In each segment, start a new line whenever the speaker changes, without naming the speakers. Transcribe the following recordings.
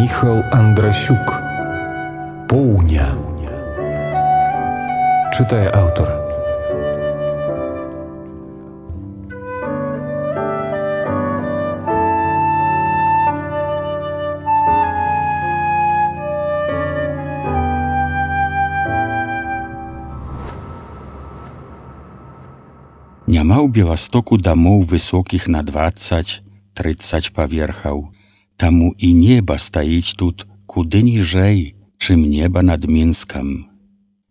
Міхал Андрасюк. Поўня. Чытае аўтар.
Няма ў Беластоку дамоў высокіх на 20-30 паверхаў, таму і неба стаіць тут куды ніжэй, чым неба над Мінскам.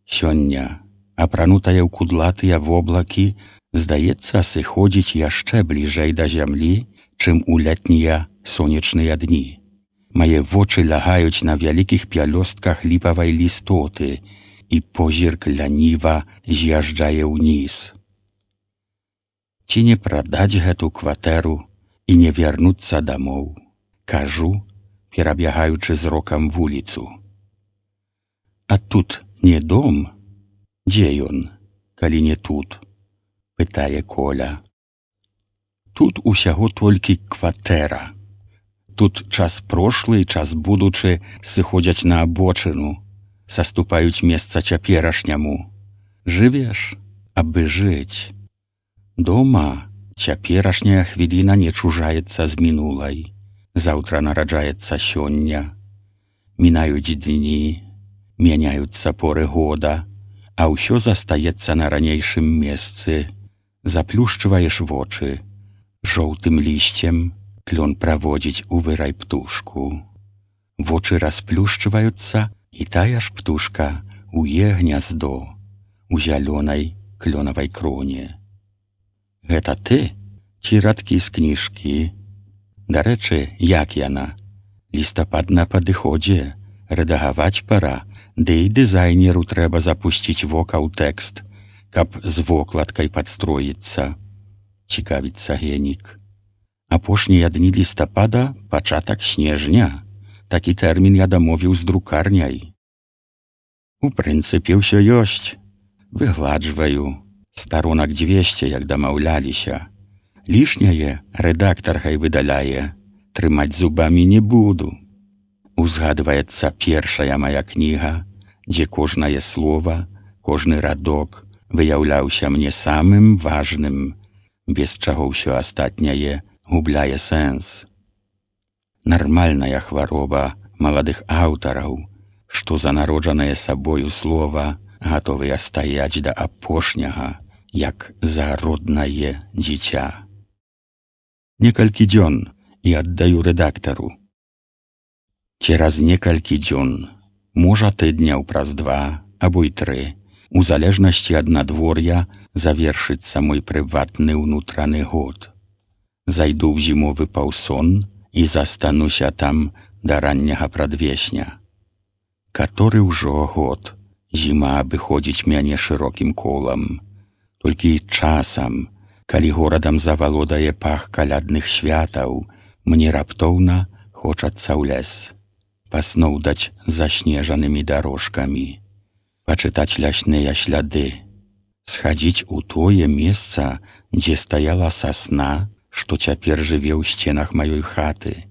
Сёння, апранутая ў кудлатыя воблакі, здаецца, сыходзіць яшчэ бліжэй да зямлі, чым у летнія сонечныя дні. Мае вочы лягаюць на вялікіх пялёстках ліпавай лістоты, і позірк ляніва з'язджае ўніз. Ці не прадаць гэту кватэру і не вярнуцца дамоў? Кажу, перабягаючы зрокам вуліцу. А тут не дом? Дзе ён, калі не тут? Пытае Коля. Тут усяго толькі кватэра. Тут час прошлы і час будучы сыходзяць на абочыну, саступаюць месца цяперашняму. Жывеш, абы жыць. Дома цяперашняя хвіліна не чужаецца з мінулай. Заўтра нараджаецца сёння. Мінаюць дні, мяняюцца поры года, а ўсё застаецца на ранейшым месцы. Заплюшчваеш вочы. Жоўтым лісцем клён праводзіць у вырай птушку. Вочы расплюшчваюцца, і тая ж птушка уе гняздо у зялёнай клёнавай кроне. Гэта ты ці радкі з кніжкі? Дарэчы, як яна? Лістапад на падыходзе, рэдагаваць пара, ды і дызайнеру трэба запусціць вока ў тэкст, каб з вокладкай падстроіцца. Цікавіцца Генік. Апошнія дні лістапада — пачатак снежня. Такі тэрмін я дамовіў з друкарняй. У прынцыпе, ўсё ёсць. Выгладжваю. Старонак 200, як дамаўляліся. Лішняе рэдактар хай выдаляе. Трымаць зубамі не буду. Узгадваецца першая мая кніга, дзе кожнае слова, кожны радок выяўляўся мне самым важным, без чаго ўсё астатняе губляе сэнс. Нармальная хвароба маладых аўтараў, што за народжанае сабою слова гатовыя стаяць да апошняга, як за роднае дзіця. Некалькі дзён і аддаю рэдактару. Цераз некалькі дзён, можа тыдняў праз 2 або і 3, у залежнасці ад надвор'я завершыцца мой прыватны ўнутраны год. Зайду ў зімовы паўсон і застануся там да ранняга прадвесня. Каторы ўжо год зіма абыходзіць мяне шырокім колам. Толькі часам, калі горадам завалодае пах калядных святаў, мне раптоўна хочацца ў лес. Пасноўдаць заснежанымі дарожкамі, пачытаць лясныя сляды, схадзіць у тое месца, дзе стаяла сасна, што цяпер жыве ў сценах маёй хаты.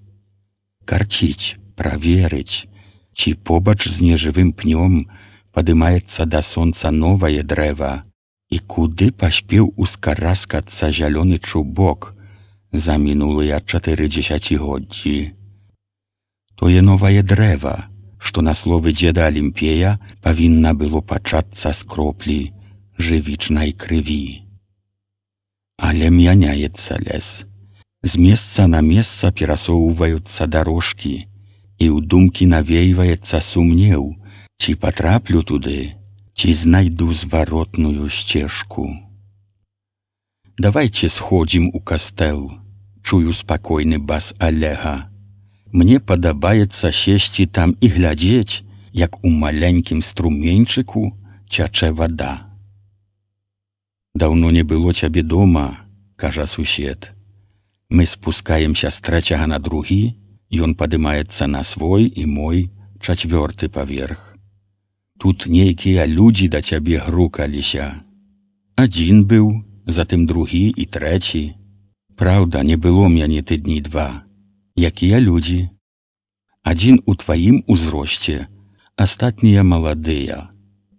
Карціць, праверыць, ці побач з нежывым пнём падымаецца да сонца новае дрэва, і куды паспеў ускараскацца зялёны чубок за мінулыя 4 дзесяцігоддзі. Тое новае дрэва, што на словы дзеда Алімпея павінна было пачацца з кроплі жывічнай крыві. Але мяняецца лес. З месца на месца перасоўваюцца дарожкі, і ў думкі навейваецца сумнеў, ці патраплю туды, ці знайду зваротную сцежку. Давайце сходзім у кастэл, чую спакойны бас Алега. Мне падабаецца сесці там і глядзець, як у маленькім струменьчыку цячэ вада. Даўно не было цябе дома, кажа сусед. Мы спускаемся з 3 на 2, ён падымаецца на свой і мой 4 паверх. Тут нейкія людзі да цябе грукаліся. Адзін быў, затым другі і трэці. Праўда, не было мяне тыдні 2. Якія людзі? Адзін у тваім узросце, астатнія маладыя,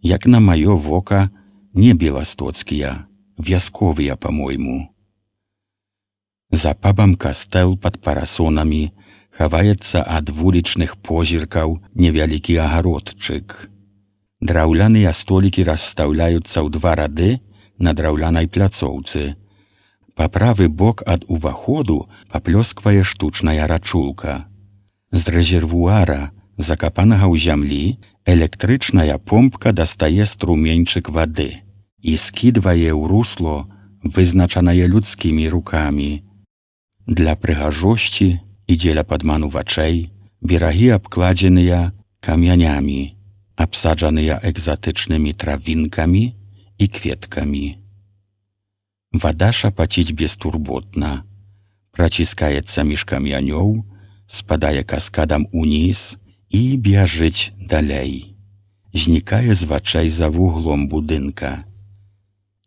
як на маё вока, не беластоцкія, вясковыя, па-мойму. За пабам кастэл пад парасонамі хаваецца ад вулічных позіркаў невялікі агародчык. Драўляныя столікі расстаўляюцца ў 2 рады на драўлянай пляцоўцы. Па правы бок ад уваходу паплёсквае штучная рачулка. З рэзервуара, закапанага ў зямлі, электрычная помпка дастае струменьчык вады і скідвае ў русло, вызначанае людскімі рукамі. Для прыгажосці і дзеля падману вачэй берагі абкладзеныя камянямі, абсаджаныя экзатычнымі травінкамі і кветкамі. Вада шапаціць бестурботна, праціскаецца між камянёў, спадае каскадам уніз і бяжыць далей. Знікае з вачэй за вуглом будынка.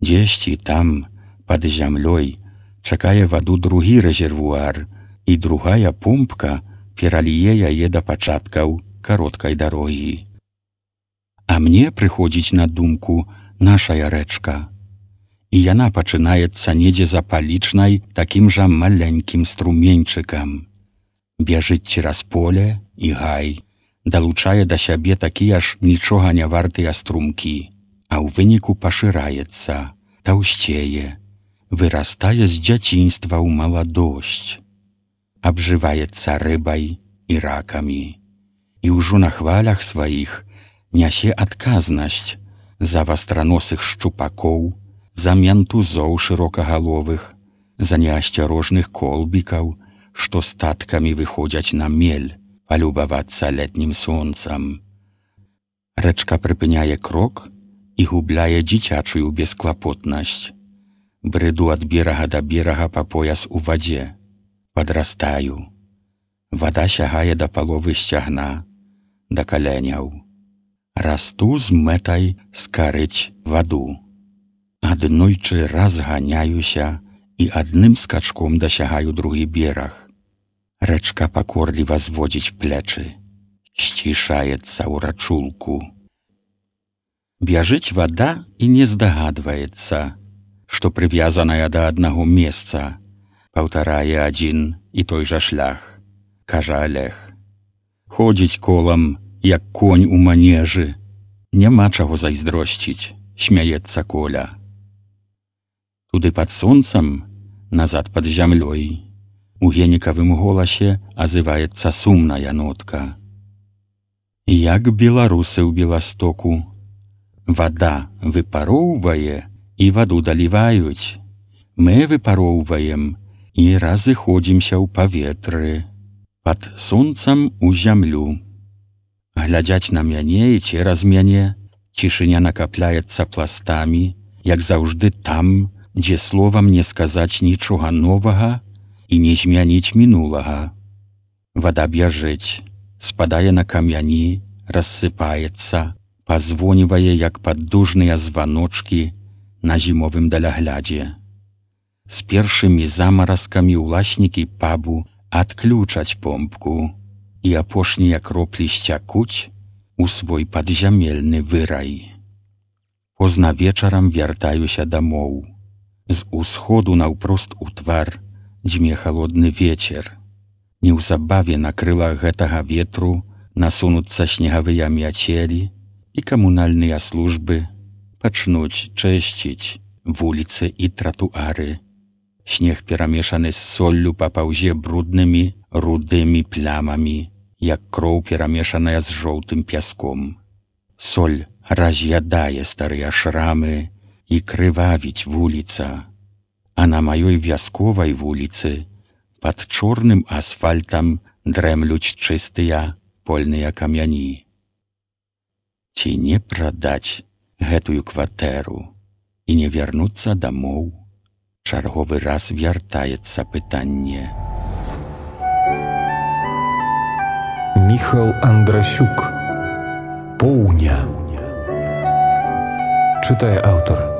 Дзесьці там, пад зямлёй, чакае ваду другі рэзервуар, і другая помпка пераліе яе да пачаткаў кароткай дарогі. А мне прыходзіць на думку нашая рэчка. І яна пачынаецца недзе за палічнай такім жа маленькім струменьчыкам. Бяжыць цераз поле і гай, далучае да сябе такія ж нічога не вартыя струмкі, а ў выніку пашыраецца, таўсцее, вырастае з дзяцінства ў маладосць, абжываецца рыбай і ракамі, і ўжо на хвалях сваіх нясе адказнасць за вастраносых шчупакоў, за ментузоў шырокагаловых, за неасцярожных колбікаў, што статкамі выходзяць на мель палюбавацца летнім сонцам. Рэчка прыпыняе крок і губляе дзіцячую бесклапотнасць. Брыду ад берага да берага па пояс у вадзе. Падрастаю. Вада сягае да паловы сцягна, да каленяў. Расту з мэтай скарыць ваду. Аднойчы разганяюся і адным скачком дасягаю другі бераг. Рэчка пакорліва зводзіць плечы, сцішаецца ў рачулку. Бяжыць вада і не здагадваецца, што прывязаная да аднаго месца, паўтарае адзін і той жа шлях, кажа Олег. Ходзіць колам, як конь у манежы. Няма чаго зайздросціць, смяецца Коля. Туды пад сонцам, назад пад зямлёй, у генікавым голасе азываецца сумная нотка. Як беларусы ў Беластоку. Вада выпароўвае і ваду даліваюць. Мы выпароўваем і разыходзімся ў паветры, пад сонцам у зямлю. Глядзяць на мяне і цераз мяне, цішыня накапляецца пластамі, як заўжды там, дзе словам не сказаць нічога новага і не змяніць мінулага. Вада бяжыць, спадае на камяні, рассыпаецца, пазвонівае, як паддужныя званочкі на зімовым даляглядзе. З першымі замаразкамі ўласнікі пабу адключаць помпку, і апошнія кроплі сцякуць у свой падзямельны вырай. Позна вечарам вяртаюся дамоў. З усходу наўпрост у твар дзьме халодны вецер. Неўзабаве на крылах гэтага ветру насунуцца снегавыя мяцелі, і камунальныя службы пачнуць чысціць вуліцы і тратуары. Снег перамешаны з соллю папаўзе бруднымі рудымі плямамі, як кроў перамешаная з жоўтым пяском. Соль раз'ядае старыя шрамы і крывавіць вуліца, а на маёй вясковай вуліцы пад чорным асфальтам дрэмлюць чыстыя польныя камяні. Ці не прадаць гэтую кватэру і не вярнуцца дамоў? Чарговы раз вяртаецца пытанне.
Міхал Андрасюк. Поўня. Чытае аўтар.